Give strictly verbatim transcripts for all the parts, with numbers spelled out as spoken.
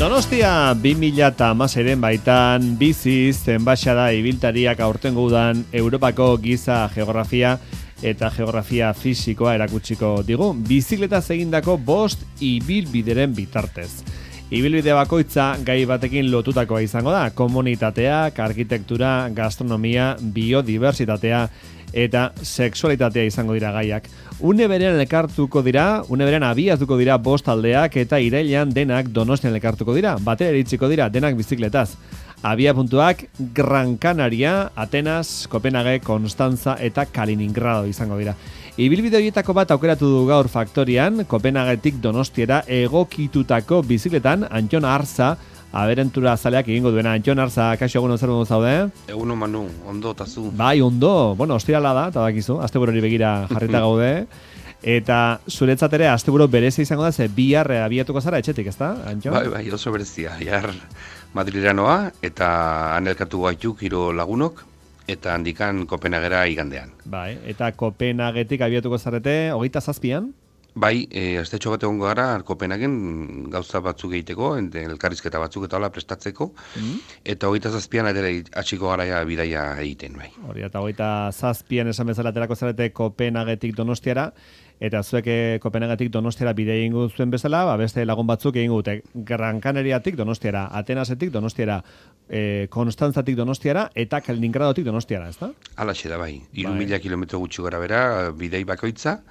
Donostia bi mila hamaseiren baitan biziz enbaxada ibiltariak aurtengo udan Europako giza geografia eta geografia fisikoa erakutsiko digu, bizikletaz egindako bost ibilbideren bitartez. Ibilbide bakoitza gai batekin lotutakoa izango da, komunitateak, arkitektura, gastronomia, biodiversitatea eta sexualitatea izango dira gaiak. Une berean elkartuko dira, une berean abiatuko dira bost aldeak eta irailean denak Donostian elkartuko dira, batera iritsiko dira denak bizikletaz. Abia puntuak Gran Canaria, Atenas, Kopenhague, Konstantza eta Kaliningrado izango dira. Ibilbide horietako bat aukeratu du gaur Faktorian, Kopenhagetik Donostiera egokitutako bizikletan Antxon Arza, aberentura zaleak egingo duena. Antxon Arza, kaixo egun zer modu zaude? Egun Manu, ondo eta zu. Bai, ondo. Bueno, ostirala da, eta bakizu, asteburori begira jarrita gaude. Eta zuretzat ere asteburu berezia izango da, ze bihar abiatuko zara etxetik, ezta, Antxon? Bai, bai, oso berezia. Bihar Madrilera noa, eta han elkartu gaituk hiru lagunok, eta handikan Kopenhagera igandean. Bai, eta Kopenhagetik abiatuko zarete, hogeita zazpian? Bai, e, astetxo bat egongo gara Kopenhagen gauza batzuk egiteko, elkarrizketa batzuk eta hola prestatzeko, mm. eta hogeita zazpian ere atxiko garaia bidaia egiten, bai. Hori, eta hogeita zazpian esan bezala aterako zarete Kopenhagetik Donostiara, eta zuek Kopenhagetik Donostiara bidea egingo zuen bezala, ba, beste lagun batzuk egingo dute Gran Canariatik Donostiara, Atenasetik Donostiara, e, Konstantzatik Donostiara eta Kaliningradotik Donostiara, ezta? Halaxe da, bai. Hiru mila kilometro gutxi gara bera, bidei bakoitza,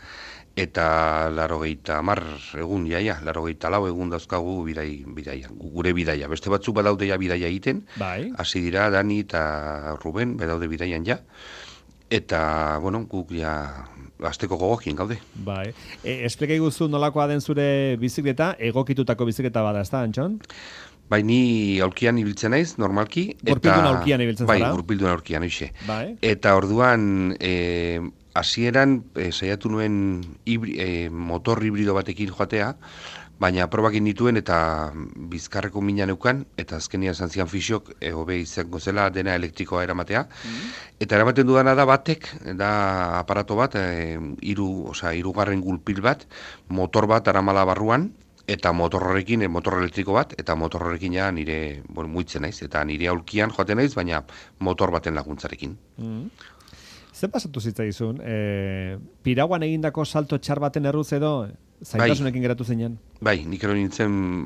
eta larogeita hamar egun jaia, larogeita lau egun dauzkagu bidai, bidaia, gure bidaia. Beste batzuk badaudeia bidaia egiten, bai. Hasi dira Dani eta Ruben, badaude bidaian ja, eta, bueno, guk ja asteko gogokien gaude. Bai. E, esplika iguzu nolakoa den zure bizikleta, egokitutako bizikleta bada, ez da, Antxon? Bai, ni aulkian ibiltzen naiz, normalki. Gurpildun aulkian ibiltzen zara? Bai, gurpildun aulkian, hoxe. Bai. Eta orduan, e, hasieran e, saiatu nuen hibri, e, motor hibrido batekin joatea, baina probakin dituen eta bizkarreko mina neukan, eta azkenia esan zian fisiok, e, hobe izango zela dena elektrikoa eramatea. Mm. Eta eramaten dudana da batek, da aparato bat, e, iru, oza, irugarren gulpil bat, motor bat aramala barruan, eta motor horrekin, e, motor elektriko bat, eta motor horrekin ja nire, bueno, muitzen naiz, eta nire aulkian joaten naiz, baina motor baten laguntzarekin. Mm. Zer pasatu zitzaizun? E, Piraguan egindako salto txar baten erruz edo zaitasunekin geratu zinen? Bai, nik ero nintzen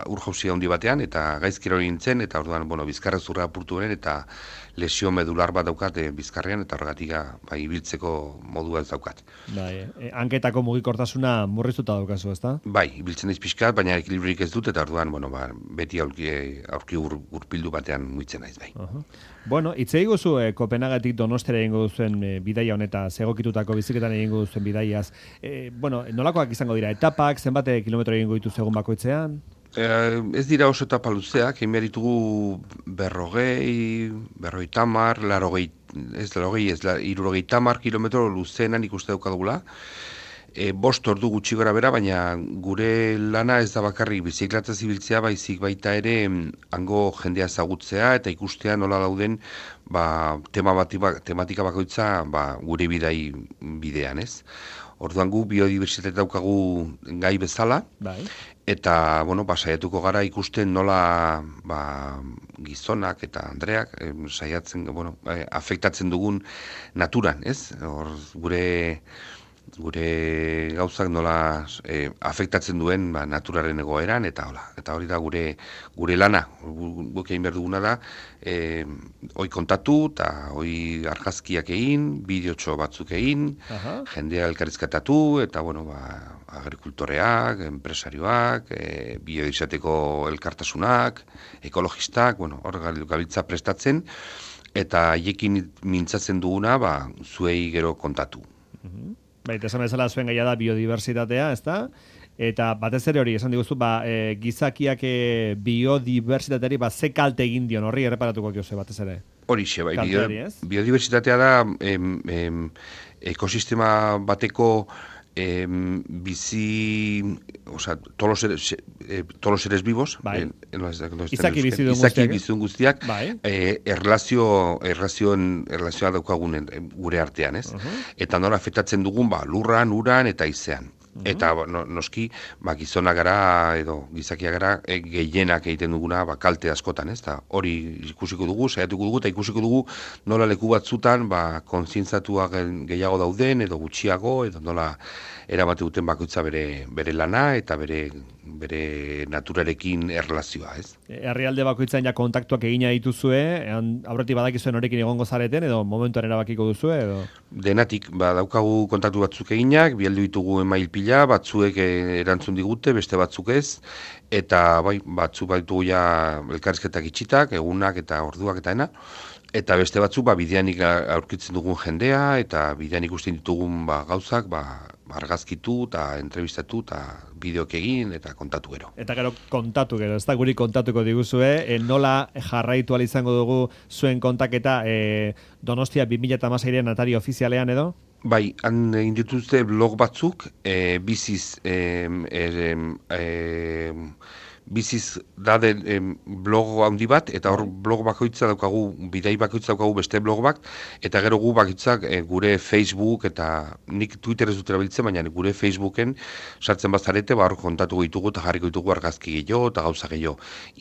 ur jauzia handi batean, eta gaizkero nintzen, eta orduan, bueno, bizkarra zurra apurtu beren, eta lesio medular bat daukat e, bizkarrean, eta horregatik bai, ibiltzeko modua ez daukat. Bai, e, hanketako mugikortasuna murriztuta daukazu, ezta? Bai, ibiltzen naiz pixkat, baina ekilibrik ez dut, eta orduan, bueno, ba, beti aurki, aurki ur, urpildu batean muitzen naiz, bai. Uh-huh. Bueno, itzei guzu e, Kopenhagetik Donostera egingo duzuen e, bidaia honeta, zegokitutako biziketan egingo duzuen bidaiaz. E, bueno, nolakoak izango dira etapak, zenbate kilometro egingo ditu egun bakoitzean? Eh, ez dira oso etapa luzeak, egin behar ditugu berrogei, berrogei tamar, larogei, ez larogei, ez la, irurogei tamar kilometro luzeenan ikuste daukagula. E, bost ordu gutxi gara bera, baina gure lana ez da bakarrik bizikletaz ibiltzea, baizik baita ere hango jendea ezagutzea eta ikustea nola dauden ba, tema bati, tematika bakoitza ba, gure bidai bidean, ez? Orduan gu biodibertsitate daukagu gai bezala, bai. Eta, bueno, ba, saiatuko gara ikusten nola ba, gizonak eta andreak eh, saiatzen, bueno, eh, afektatzen dugun naturan, ez? Hor, gure gure gauzak nola e, afektatzen duen ba, naturaren egoeran, eta hola, eta hori da gure gure lana, guk egin behar duguna da, e, hoi kontatu, eta hoi argazkiak egin, bideotxo batzuk egin, Aha. jendea elkarrizkatatu, eta bueno, ba, agrikultoreak, enpresarioak, e, biodibertsitateko elkartasunak, ekologistak, bueno, hor gabiltza prestatzen, eta haiekin mintzatzen duguna, ba, zuei gero kontatu. Mhm. Baita, esan bezala zuen gaia da biodiversitatea, ezta? Eta batez ere hori, esan diguzu, ba, e, gizakiak e, biodiversitateari ba, ze kalte egin dion horri erreparatuko kioze batez ere? Horixe, bai, bio, biodiversitatea da em, em, ekosistema bateko em, bizi, o sea, todos los seres, eh, todos los seres vivos, bai. en, en los, en los izaki bizidun izaki guztiak, bizidun guztiak bai. eh, erlazio, erlazioen, erlazioa daukagun gure artean, ez? Uh-huh. Eta nola afektatzen dugun, ba, lurran, uran eta izean. Eta no, noski, ba, gizona gara edo gizakia gara e, gehienak egiten duguna ba, kalte askotan, ez da? Hori ikusiko dugu, saiatuko dugu, eta ikusiko dugu nola leku batzutan ba, kontzientzatua gehiago dauden edo gutxiago, edo nola erabate duten bakoitza bere, bere lana eta bere bere naturarekin erlazioa, ez? Herrialde bakoitzan ja kontaktuak egina dituzue, aurretik badakizuen horekin egongo zareten, edo momentuan erabakiko duzue, edo? Denatik, ba, daukagu kontaktu batzuk eginak, bialdu ditugu email pila, batzuek erantzun digute, beste batzuk ez, eta bai, batzuk baitugu ja elkarrizketak itxitak, egunak eta orduak eta ena, eta beste batzuk ba, bideanik aurkitzen dugun jendea, eta bidean ikusten ditugun ba, gauzak, ba, argazkitu eta entrevistatu eta bideok egin eta kontatu gero. Eta gero kontatu gero, ez da guri kontatuko diguzue, e, nola jarraitu ahal izango dugu zuen kontaketa e, Donostia bi mila hamaseiren atari ofizialean edo? Bai, han egin dituzte blog batzuk, e, biziz e, e, e, biziz da den e, blog handi bat, eta hor blog bakoitza daukagu, bidai bakoitza daukagu beste blog bat, eta gero gu bakoitzak e, gure Facebook, eta nik Twitter ez dut erabiltzen, baina gure Facebooken sartzen bazarete, ba hor kontatu ditugu eta jarriko ditugu argazki gehiago eta gauza gehiago.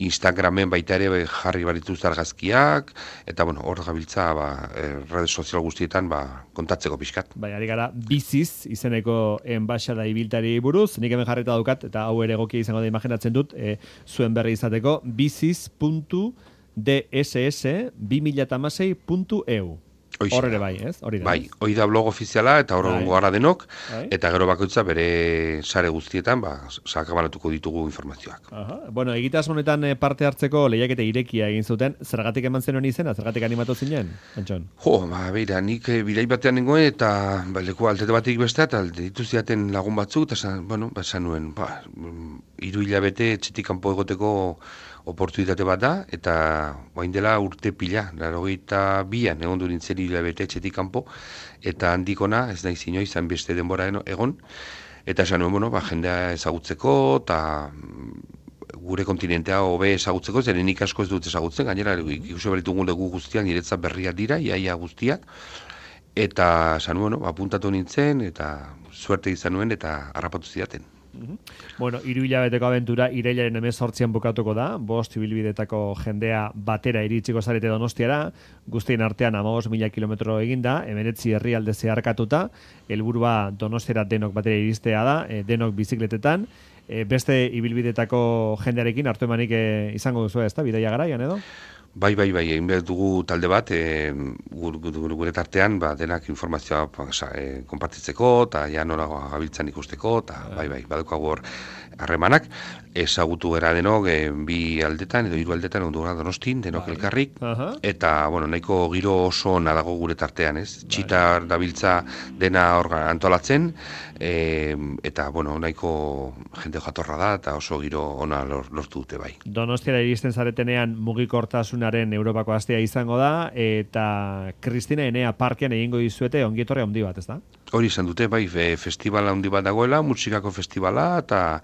Instagramen baita ere jarri barituzte argazkiak, eta bueno, hor gabiltza ba, e, rede sozial guztietan ba, kontatzeko pixkat. Bai, ari gara biziz izeneko enbaxada ibiltari buruz, nik hemen jarrita daukat, eta hau ere egokia izango da imaginatzen dut, e, zuen berri izateko, biziz puntu d s s bi mila hamasei puntu e u. Hor ere bai, ez? Hori da. Bai, hori da blog ofiziala eta hor gongo gara denok, bai. Eta gero bakoitza bere sare guztietan ba, sakabanatuko ditugu informazioak. Aha. Bueno, egitasmo honetan parte hartzeko lehiaketa irekia egin zuten, zergatik eman zenuen izena, zergatik animatu zinen, Antxon? Jo, ba, beira, nik bilai batean nengoen eta ba, leku altete batik bestea, eta ditu ziaten lagun batzuk, eta san, bueno, ba, esan nuen, ba, hiru hilabete etxetik kanpo egoteko oportunitate bat da, eta bain dela urte pila, laurogeita bian egon du nintzen hilabete etxetik kanpo, eta handikona, ez nahi zinoi, izan beste denbora egon, eta esan nuen, bueno, ba, jendea ezagutzeko, eta gure kontinentea hobe ezagutzeko, zeren nik asko ez dut ezagutzen, gainera, ikusi beritugun legu guztiak, niretzat berriak dira, iaia guztiak, eta esan nuen, bueno, apuntatu nintzen, eta suerte izan nuen, eta harrapatu zidaten. Bueno, hiru hilabeteko abentura irailaren hemezortzian bukatuko da, bost ibilbidetako jendea batera iritsiko zarete Donostiara, guztien artean hamabost mila kilometro eginda, hemeretzi herrialde zeharkatuta, helburua Donostiara denok batera iristea da, e, denok bizikletetan, e, beste ibilbidetako jendearekin hartu emanik e, izango duzu, ez da, bidaia garaian edo? Bai, bai, bai, egin behar dugu talde bat, e, gure tartean, ba, denak informazioa e, konpartitzeko, eta ja nola gabiltzan ikusteko, eta bai, bai, badukagu hor harremanak, ezagutu gara denok, e, bi aldetan, edo hiru aldetan, ondu gara Donostin, denok bai. Elkarrik, uh-huh. Eta, bueno, nahiko giro oso nadago gure tartean, ez? Bai. Txitar dabiltza dena hor antolatzen, e, eta, bueno, nahiko jende jatorra da, eta oso giro ona lortu dute, bai. Donostiara iristen zaretenean mugikortasunaren Europako astea izango da, eta Kristina Enea parkean egingo dizuete ongietorre handi bat, ez da? Hori izan dute, bai, festivala handi bat dagoela, musikako festivala, eta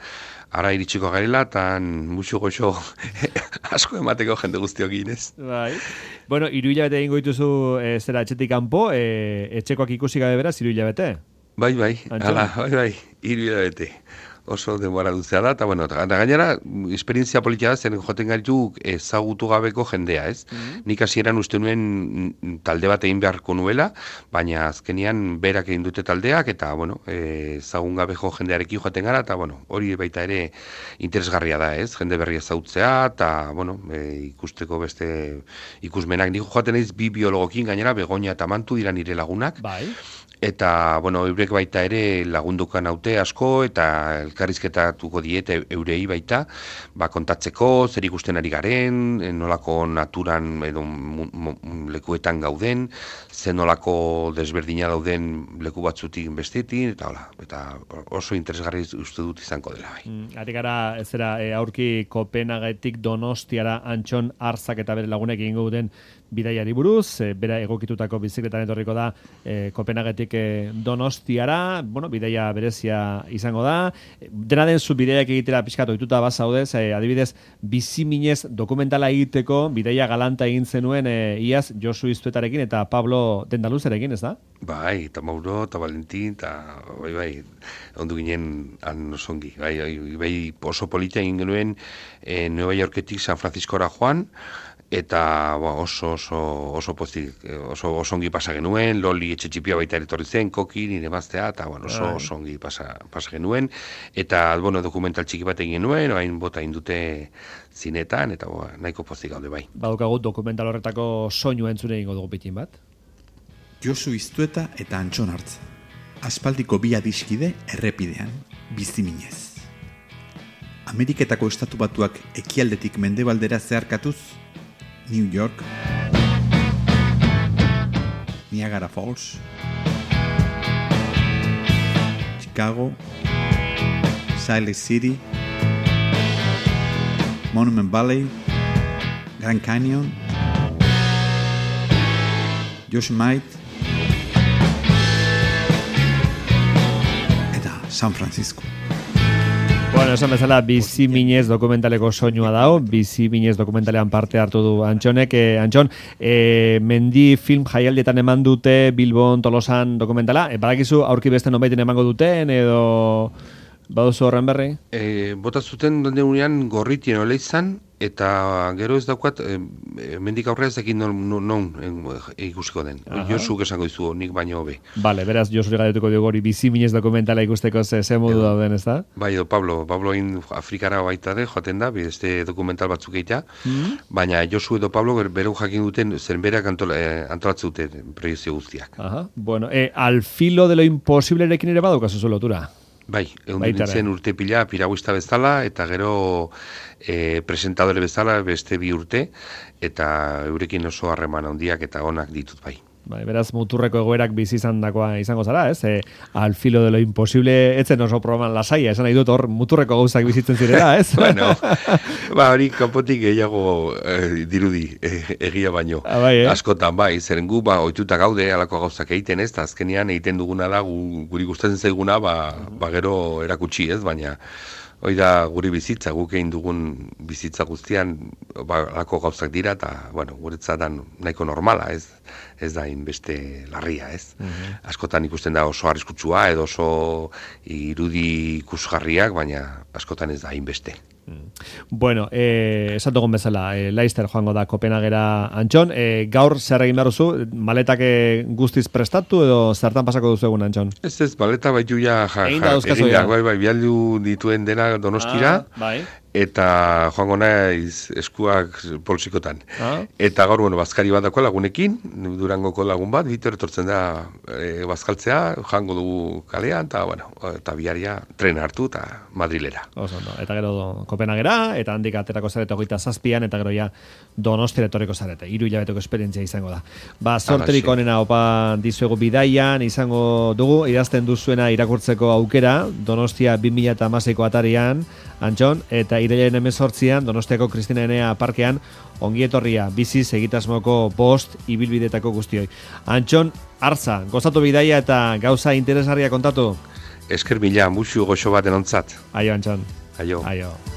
ara iritsiko garela, eta musu goxo asko emateko jende guztiokin, ez? Bai. Bueno, hiru hilabete egingo dituzu e, zera etxetik kanpo, e, etxekoak ikusi gabe beraz, hiru hilabete? Bai, bai, ala, bai, bai, hiru hilabete. Oso denbora luzea da, eta bueno, eta gainera, esperientzia politia da, zen joten gaitu ezagutu gabeko jendea, ez? Mm-hmm. Nik hasieran uste nuen talde bat egin beharko nuela, baina azkenian berak egin dute taldeak, eta bueno, ezagun gabeko jendearekin joten gara, eta bueno, hori baita ere interesgarria da, ez? Jende berri ezagutzea, eta bueno, e, ikusteko beste ikusmenak. Nik joaten naiz bi biologokin gainera, Begoña eta Mantu dira nire lagunak. Bai. Eta, bueno, eurek baita ere lagundukan haute asko, eta elkarrizketatuko diete eurei baita, ba, kontatzeko, zer ikusten ari garen, nolako naturan edo lekuetan gauden, zen nolako desberdina dauden leku batzutik bestetik, eta hola, eta oso interesgarri uste dut izango dela. Bai. Mm, ari gara, ez zera, e, aurki Kopenhagetik Donostiara Antxon Arzak eta bere lagunek egingo duten bidaiari buruz, e, bera egokitutako bizikletan etorriko da e, Kopenhagetik e, Donostiara, bueno, bidaia berezia izango da. Dena den zu bidaiak egitera pixkat ohituta bazaudez, e, adibidez, biziminez dokumentala egiteko bidaia galanta egin zenuen e, iaz Josu Iztuetarekin eta Pablo Dendaluzerekin, ez da? Bai, eta Mauro, eta Valentin, eta bai, bai, ondu ginen han osongi. Bai, bai, bai oso polita egin genuen e, Nueva Yorketik San Franciscora joan, eta ba, oso oso oso pozik, oso osongi pasa genuen, Loli etxe txipia baita etorri zen, Koki, nire maztea, eta bueno, oso osongi pasa, pasa genuen, eta bueno, dokumental txiki bat egin genuen, orain bota indute zinetan, eta ba, nahiko pozik gaude bai. Badukagut dokumental horretako soinu entzune egingo dugu pitin bat. Josu Iztueta eta Antxon Artza. Aspaldiko bi adiskide errepidean, biziminez. Ameriketako estatu batuak ekialdetik mendebaldera zeharkatuz, New York, Niagara Falls, Chicago, Salt Lake City, Monument Valley, Grand Canyon, Yosemite, eta San Francisco. Bueno, esan bezala, bizi minez dokumentaleko soinua dago, bizi minez dokumentalean parte hartu du Antxonek. Eh, Antxon, eh, mendi film jaialdietan eman dute Bilbon, Tolosan dokumentala, eh, badakizu aurki beste nonbaiten emango duten, edo baduzu horren berri? E, bota zuten donde unean gorritien ole izan, eta gero ez daukat, e, mendik aurrera ez dakit non, non, non e, ikusiko den. Josuk esango dizu, nik baino hobe. Bale, beraz, Josuri galdetuko dugu hori bizi minez dokumentala ikusteko ze, ze modu dauden, ez da? Bai, edo Pablo, Pablo in Afrikara baita de, joaten da, beste dokumental batzuk egitea, mm-hmm. baina Josu edo Pablo bero jakin duten, zen berak antola, eh, antolatzen duten proiezio guztiak. Aha, bueno, eh, al filo de lo imposiblerekin ere badaukazu zu lotura. Bai, egun nintzen urte pila piraguista bezala, eta gero e, presentadore bezala beste bi urte, eta eurekin oso harreman handiak eta onak ditut bai. Bai, beraz, muturreko egoerak bizi izandakoa izango zara, ez? E, al filo de lo imposible, etzen oso programan lasaia, esan nahi dut hor muturreko gauzak bizitzen zirela, ez? Bueno, ba, hori kanpotik gehiago eh, dirudi eh, egia baino. Ah, bai, eh? Askotan, bai, zeren gu, ba, ohituta gaude alako gauzak egiten, ez? Ta azkenean egiten duguna da, gu, guri gustatzen zaiguna, ba, ba gero erakutsi, ez? Baina, hoi da guri bizitza, guk egin dugun bizitza guztian, ba, alako gauzak dira, eta, bueno, guretzatan nahiko normala, ez? Ez da inbeste larria, ez? Mm-hmm. Askotan ikusten da oso arriskutsua edo oso irudi ikusgarriak, baina askotan ez da inbeste. Mm. Bueno, eh, esan dugun bezala, eh, Leicester joango da Kopenhagera Antxon. Eh, gaur zer egin behar duzu? Maletak guztiz prestatu edo zertan pasako duzu egun Antxon? Ez ez, maleta baitu ja, ja, ja egin da, bai, bai, bialdu dituen dena Donostira. Ah, bai. Eta joango naiz eskuak poltsikotan. Ah. Eta gaur, bueno, bazkari bat dako lagunekin, Durangoko lagun bat, Bitor etortzen da e, bazkaltzea, joango dugu kalean, eta, bueno, eta biharia tren hartu eta Madrilera. Oso, no. Eta gero Kopenhagera, eta handik aterako zarete hogeita zazpian, eta gero ja Donostira etorriko zarete. Hiru hilabeteko esperientzia izango da. Ba, sorterik onena opa dizuegu bidaian, izango dugu, idazten duzuena irakurtzeko aukera, Donostia bi mila hamaseiko atarian, Antxon, eta irailaren hemezortzian Donostiako Kristina Enea parkean ongietorria biziz egitasmoko bost ibilbidetako guztioi. Antxon Artza, gozatu bidaia eta gauza interesgarria kontatu. Esker mila, musu goxo bat enontzat. Aio, Antxon. Aio. Aio.